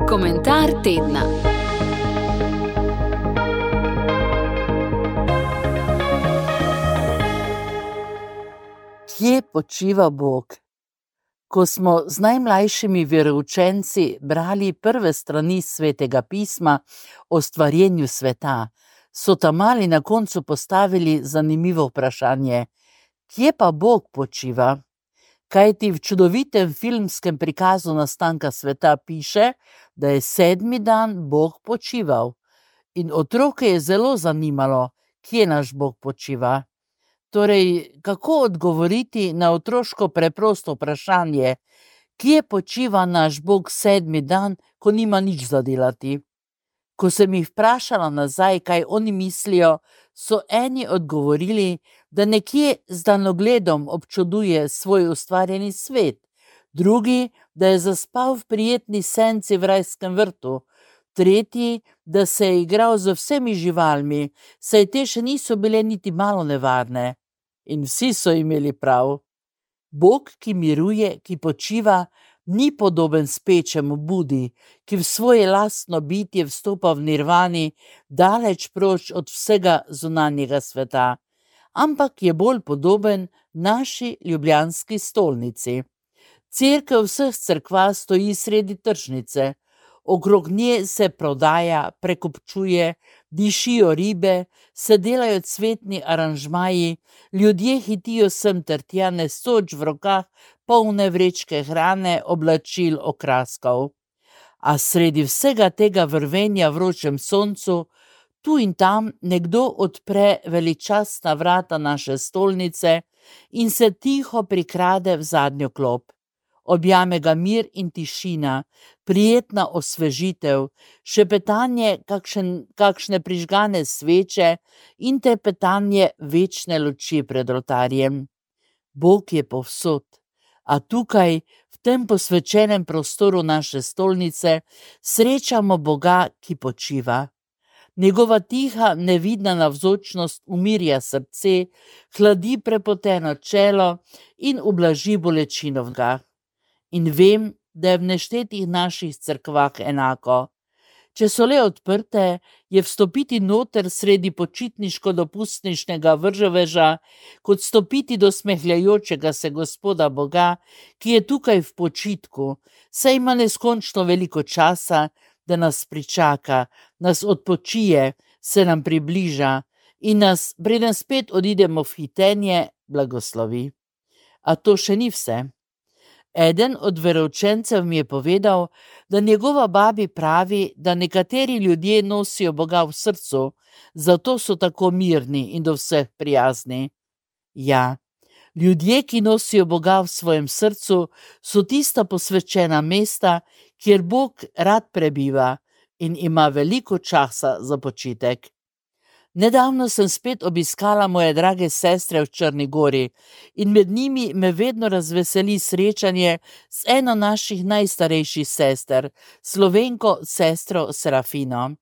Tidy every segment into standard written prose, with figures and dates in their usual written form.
Komentar tedna. Kje počiva Bog? Ko smo z najmlajšimi veroučenci brali prve strani Svetega pisma o stvarjenju sveta, so ta-mali na koncu postavili zanimivo vprašanje: kje pa Bog počiva? Kajti v čudovitem filmskem prikazu nastanka sveta piše, da je 7. dan Bog počival. In otroke je zelo zanimalo, kje naš Bog počiva. Torej, kako odgovoriti na otroško preprosto vprašanje, kje počiva naš Bog 7. dan, ko nima nič za delati? Ko sem jih vprašala nazaj, kaj oni mislijo, so eni odgovorili, da nekje z daljnogledom občuduje svoj ustvarjeni svet, drugi, da je zaspal v prijetni senci v rajskem vrtu, tretji, da se je igral z vsemi živalmi, saj te še niso bile niti malo nevarne. In vsi so imeli prav. Bog, ki miruje, ki počiva, ni podoben spečemu Budi, ki v svoje lastno bitje vstopa v nirvani, daleč proč od vsega zunanjega sveta, ampak je bolj podoben naši ljubljanski stolnici. Cerkev vseh cerkva stoji sredi tržnice, okrog nje se prodaja, prekupčuje, dišijo ribe, se delajo cvetni aranžmaji, ljudje hitijo sem ter tja, nesoč v rokah polne vrečke hrane, oblačil, okraskov. A sredi vsega tega vrvenja v vročem soncu, tu in tam nekdo odpre veličastna vrata naše stolnice in se tiho prikrade v zadnjo klop. Objame ga mir in tišina, prijetna osvežitev, šepetanje kakšne prižgane sveče in trepetanje večne luči pred oltarjem. Bog je povsod, a tukaj, v tem posvečenem prostoru naše stolnice, srečamo Boga, ki počiva. Njegova tiha, nevidna navzočnost umirja srce, hladi prepoteno čelo in ublaži bolečino v nogah. In vem, da je v neštetih naših cerkvah enako. Če so le odprte, je vstopiti noter sredi počitniško-dopustniškega vrževeža, kot stopiti do smehljajočega se Gospoda Boga, ki je tukaj v počitku, saj ima neskončno veliko časa, da nas pričaka, nas odpočije, se nam približa in nas, preden spet odidemo v hitenje, blagoslovi. A to še ni vse. Eden od veroučencev mi je povedal, da njegova babi pravi, da nekateri ljudje nosijo Boga v srcu, zato so tako mirni in do vseh prijazni. Ja, ljudje, ki nosijo Boga v svojem srcu, so tista posvečena mesta, kjer Bog rad prebiva in ima veliko časa za počitek. Nedavno sem spet obiskala moje drage sestre v Črni Gori in med njimi me vedno razveseli srečanje z eno naših najstarejših sester, Slovenko sestro Serafino.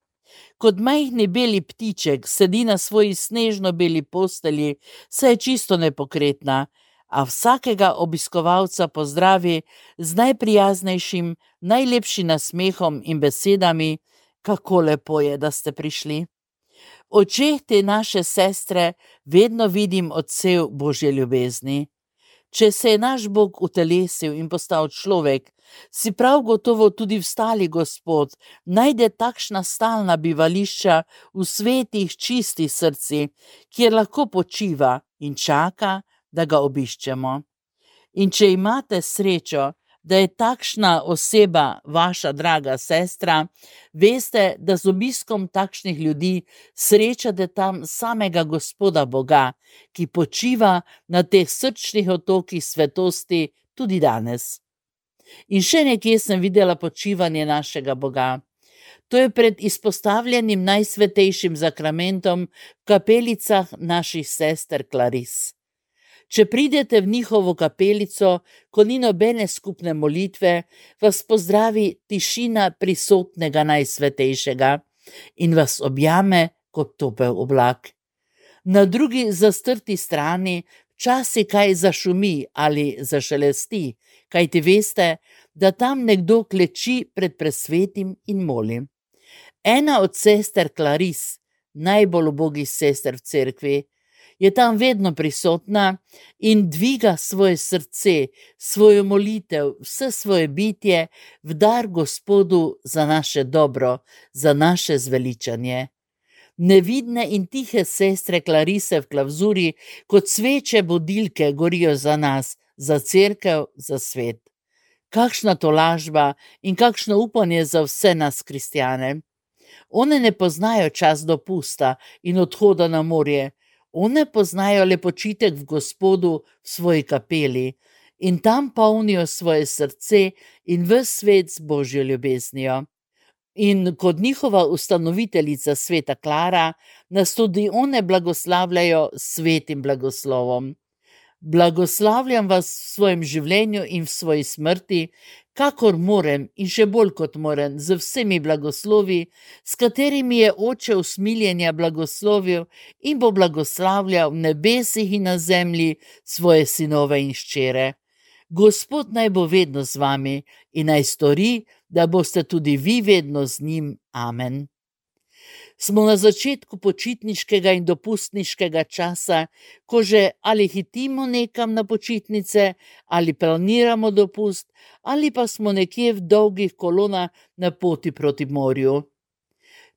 Kot majhni beli ptiček sedi na svoji snežno beli postelji, saj je čisto nepokretna, a vsakega obiskovalca pozdravi z najprijaznejšim, najlepšim nasmehom in besedami: kako lepo je, da ste prišli. V očeh te naše sestre vedno vidim odsev Božje ljubezni. Če se je naš Bog utelesil in postal človek, si prav gotovo tudi vstali Gospod najde takšna stalna bivališča v svetih, čistih srcih, kjer lahko počiva in čaka, da ga obiščemo. In če imate srečo, da je takšna oseba vaša draga sestra, veste, da z obiskom takšnih ljudi srečate tam samega Gospoda Boga, ki počiva na teh srčnih otokih svetosti tudi danes. In še nekje sem videla počivanje našega Boga. To je pred izpostavljenim najsvetejšim zakramentom v kapelicah naših sester Klaris. Če pridete v njihovo kapelico, ko ni nobene skupne molitve, vas pozdravi tišina prisotnega najsvetejšega in vas objame kot topel oblak. Na drugi zastrti strani, v včasih kaj zašumi ali zašelesti, kajti veste, da tam nekdo kleči pred presvetim in moli. Ena od sester Claris, najbolj ubogih sester v cerkvi, je tam vedno prisotna in dviga svoje srce, svojo molitev, vse svoje bitje v dar Gospodu za naše dobro, za naše zveličanje. Nevidne in tihe sestre Clarise v klavzuri kot sveče budilke gorijo za nas, za cerkev, za svet. Kakšna tolažba in kakšno upanje za vse nas kristjane. One ne poznajo čas dopusta in odhoda na morje, one poznajo le počitek v Gospodu v svoji kapeli in tam polnijo svoje srce in ves svet z Božjo ljubeznijo. In kot njihova ustanoviteljica sveta Klara, nas tudi one blagoslavljajo s svetim blagoslovom. Blagoslavljam vas v svojem življenju in v svoji smrti, kakor morem in še bolj kot morem, z vsemi blagoslovi, s katerimi je Oče usmiljenja blagoslovil in bo blagoslavljal v nebesih in na zemlji svoje sinove in hčere. Gospod naj bo vedno z vami in naj stori, da boste tudi vi vedno z njim. Amen. Smo na začetku počitniškega in dopustniškega časa, ko že ali hitimo nekam na počitnice, ali planiramo dopust, ali pa smo nekje v dolgih kolonah na poti proti morju.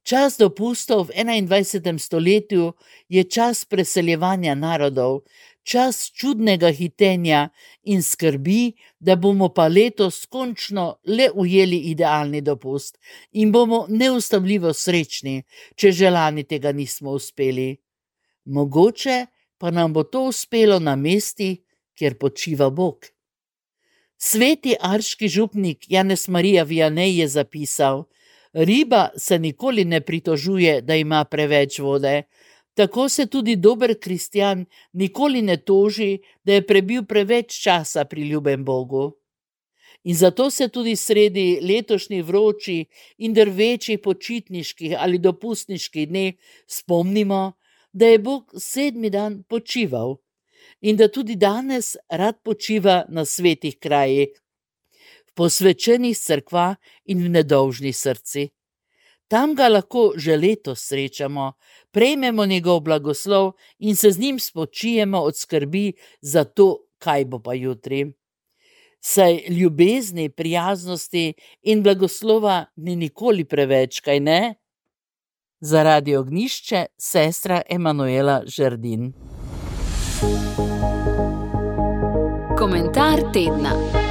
Čas dopustov v 21. stoletju je čas preseljevanja narodov, čas čudnega hitenja in skrbi, da bomo pa letos končno le ujeli idealni dopust in bomo neustavljivo srečni, če že lani tega nismo uspeli. Mogoče pa nam bo to uspelo na mesti, kjer počiva Bog. Sveti arški župnik Janez Marija Vianney je zapisal: riba se nikoli ne pritožuje, da ima preveč vode. Tako se tudi dober kristjan nikoli ne toži, da je prebil preveč časa pri ljubem Bogu. In zato se tudi sredi letošnjih vročih in drvečih počitniških ali dopustniških dneh spomnimo, da je Bog 7. dan počival in da tudi danes rad počiva na svetih krajih, v posvečenih cerkvah in v nedolžnih srcih. Tam ga lahko že letos srečamo, prejmemo njegov blagoslov in se z njim spočijemo od skrbi za to, kaj bo pa jutri. Saj ljubezni, prijaznosti in blagoslova ni nikoli preveč, kaj ne? Za Radio Ognjišče, sestra Emanuela Žerdin. Komentar tedna.